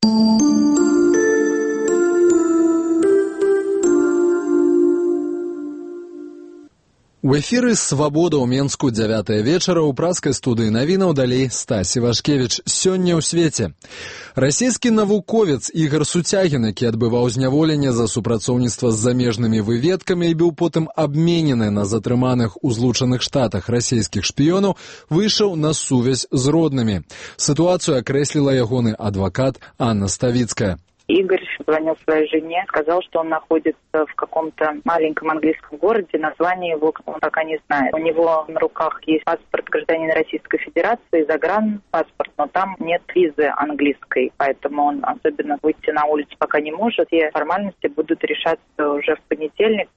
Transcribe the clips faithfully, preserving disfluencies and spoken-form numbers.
У эфіры «Свабода» ў Менску дзявятая вечара ў праскай студыі навінаў далей Стась Івашкевіч. Сёння ў свеце. Расійскі навуковец Ігор Суцягін, які адбываў зняволенне за супрацоўніцтва з замежнымі выведкамі і быў потым абменены на затрыманых у Злучаных Штатах расійскіх шпіёнаў, выйшаў на сувязь з роднымі. Сітуацыю акрэсліла ягоны адвакат Анна Ставіцкая. Игорь звонил своей жене, сказал, что он находится в каком-то маленьком английском городе, название его он пока не знает. У него на руках есть паспорт гражданина Российской Федерации, загранпаспорт, но там нет визы английской, поэтому он особенно выйти на улицу пока не может. Все формальности будут решаться уже в понедельник.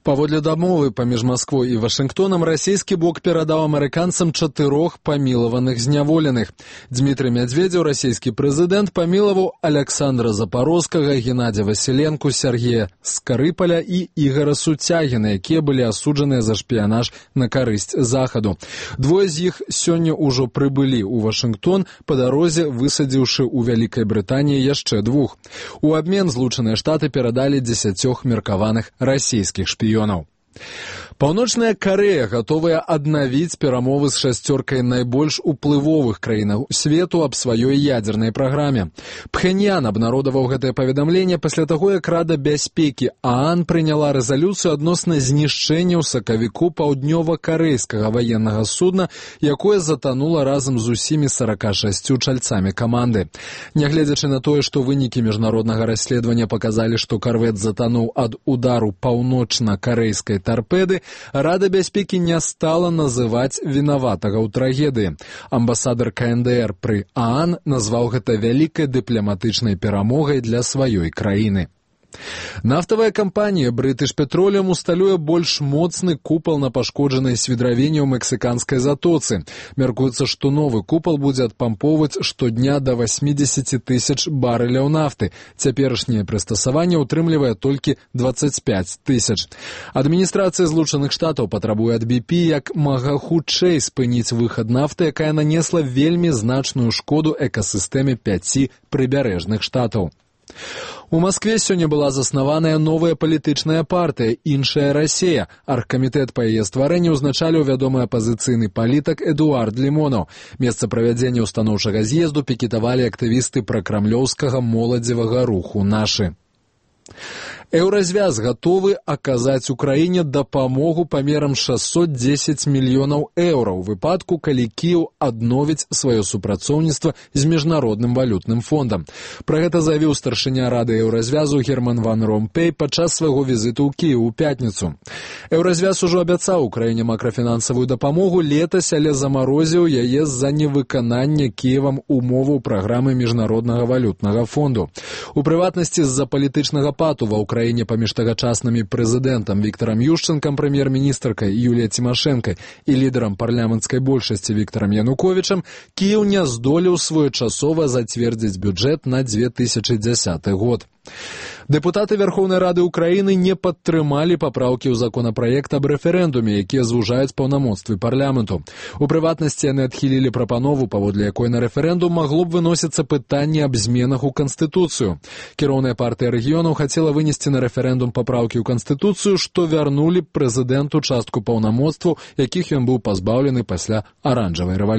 Паводле дамовы паміж Масквой і Вашынгтонам расійскі бок перадаў амерыканцам чатырох памілаваных зняволеных. Дмітрый Мядзведзеў, расійскі прэзідэнт, памілаваў Александра Запорозкага, Геннадзя Васіленку, Сергея Скарыпаля і Ігора Суцягіна, якія былі асуджаныя за шпіянаж на карысць захаду. Двое з іх сёння ўжо прыбылі ў Вашынгтон, па дарозе высадзіўшы ў Вялікай Брытаніі яшчэ двух. У абмен Злучаныя Штаты перадалі дзесяцёх меркаваных расійскіх шпіёнаў. Паўночная Карэя гатовая аднавіць перамовы з шасцёркай найбольш уплывовых краінаў свету аб сваёй ядзернай праграме. Пхеньян абнародаваў гэтае паведамленне пасля таго, як Рада бяспекі ААН прыняла рэзалюцыю адносна знішчэння ў сакавіку паўднёва-карэйскага ваеннага судна, якое затанула разам з усімі сарака шасцю чальцамі каманды. Нягледзячы на тое, што вынікі міжнароднага расследавання паказалі, што карвет затануў ад удару паўночна-карэйскай тарпеды, Рада бяспекі не стала называць вінаватага ў трагедыі. Амбасадар ка эн дэ эр пры ААН назваў гэта вялікай дыпламатычнай перамогай для сваёй краіны. Нафтавая кампанія British Petroleum усталюе больш моцны купал на пашкоджанай свідравіне ў мексіканскай затоцы. Мяркуецца, што новы купал будзе адпампоўваць штодня да васьмідзесяці тысяч барэляў нафты. Цяперашняе прыстасаванне ўтрымлівае толькі дваццаць пяць тысяч. Адміністрацыя Злучаных Штатаў патрабуе ад би пі як мага хутчэй спыніць выхад нафты, якая нанесла вельмі значную шкоду экасістэме пяці прыбярэжных штатаў. У Маскве сёння была заснаваная новая палітычная партыя «Іншая Расія». Аргкамітэт па яе стварэнні ўзначаліў вядомы апазіцыйны палітык Эдуард Лімонаў. Месца правядзення ўстаноўчага з'езду пікетавалі актывісты пракрамлёўскага моладзевага руху «Нашы». Еўразвяз гатовы аказаць Украіне дапамогу памерам шэсцьсот дзесяць мільёнаў еўра ў выпадку, калі Кіеў адновіць сваё супрацоўніцтва з міжнародным валютным фондам. Пра гэта заявіў старшыня Рады Еўразвязу Герман ван Ромпей падчас свайго візіту ў Кіеў у пятніцу. Еўразвяз ужо абяцаў Украіне макрафінансавую дапамогу летась, але замарозіў яе з-за невыканання Кіевам умоваў праграмы міжнароднага валютнага фонду. У прыватнасці з-за палітычнага пату ва Украіне паміж тагачаснымі прэзідэнтам Віктарам Юшчэнкам, прэм'ер-міністркай Юліяй Цімашэнкай і лідарам парламенцкай большасці Віктарам Януковічам, Кіеў не здолеў своечасова зацвердзіць бюджэт на дзве тысячы дзясяты год. Дэпутаты Верхоўнай Рады Украіны не падтрымалі папраўкі ў законапраект аб рэферэндуме, якія звужаюць паўнамоцтвы парламенту. У прыватнасці яны адхілілі прапанову, паводле якой на рэферэндум магло б выносіцца пытанне аб зменах у Канстытуцыю. Кіроўная партыя рэгіёнаў хацела вынесці на рэферэндум папраўкі ў Канстытуцыю, што вярнулі прэзідэнту частку паўнамоцтваў, якіх ён быў пазбаўлены пасля аранжавай рэвалюцыі.